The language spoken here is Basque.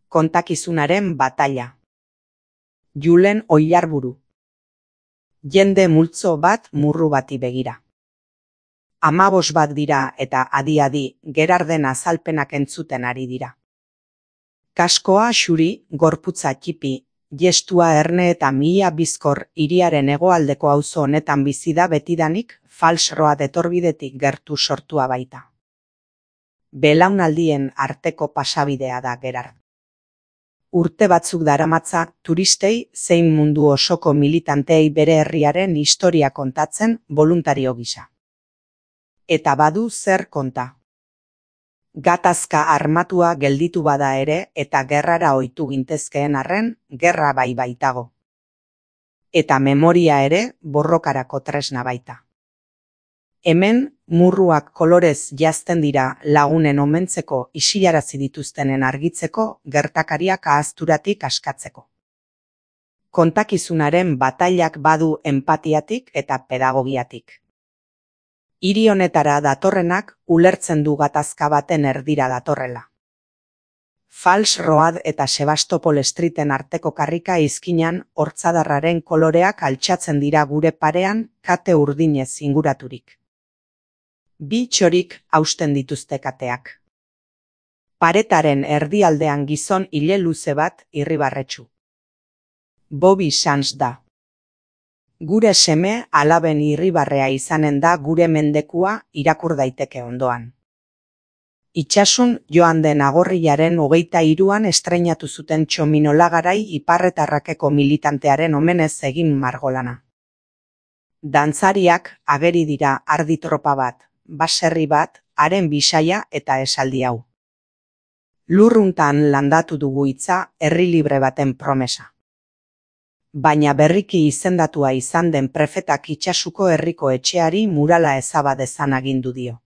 Kontakizunaren bataila. Julen Oilarburu. Jende multzo bat murru bati begira. 15 bat dira eta adi-adi Gerarden azalpenak entzuten ari dira. Kaskoa xuri, gorputza txipi, gestua erne eta mihia bizkor hiriaren hegoaldeko auzo honetan bizi da betidanik Fals Road etorbidetik gertu sortua baita. Belaunaldien arteko pasabidea da Gerard. Urte batzuk daramatza turistei zein mundu osoko militanteei bere herriaren historia kontatzen boluntario gisa. Eta badu zer konta. Gatazka armatua gelditu bada ere eta gerrara ohitu gintezkeen arren, gerra bai baitago. Eta memoria ere borrokarako tresna baita. Hemen, murruak kolorez jazten dira lagunen omentzeko isilarazi dituztenen argitzeko gertakariak ahazturatik askatzeko. Kontakizunaren batailak badu enpatiatik eta pedagogiatik. Hiri honetara datorrenak ulertzen du gatazka baten erdira datorrela. Fals Road eta Sebastopol Streeten arteko karrika izkinan hortzadarraren koloreak altxatzen dira gure parean kate urdinez inguraturik. Bi txorik hausten dituzte kateak. Paretaren erdialdean gizon ile luze bat irribarretsu. Bobby Sands da. Gure seme alaben irribarrea izanen da gure mendekua irakur daiteke ondoan. Itsasun joan den agorrilaren 23an estreinatu zuten Txominolagarai iparretarrakeko militantearen omenez egin margolana. Dantzariak ageri dira ardi tropa bat, baserri bat, haren bisaia eta esaldi hau. Lurruntan landatu dugu hitza herri libre baten promesa. Baina berriki izendatua izan den prefetak Itsasuko herriko etxeari murala ezaba dezan agindu dio.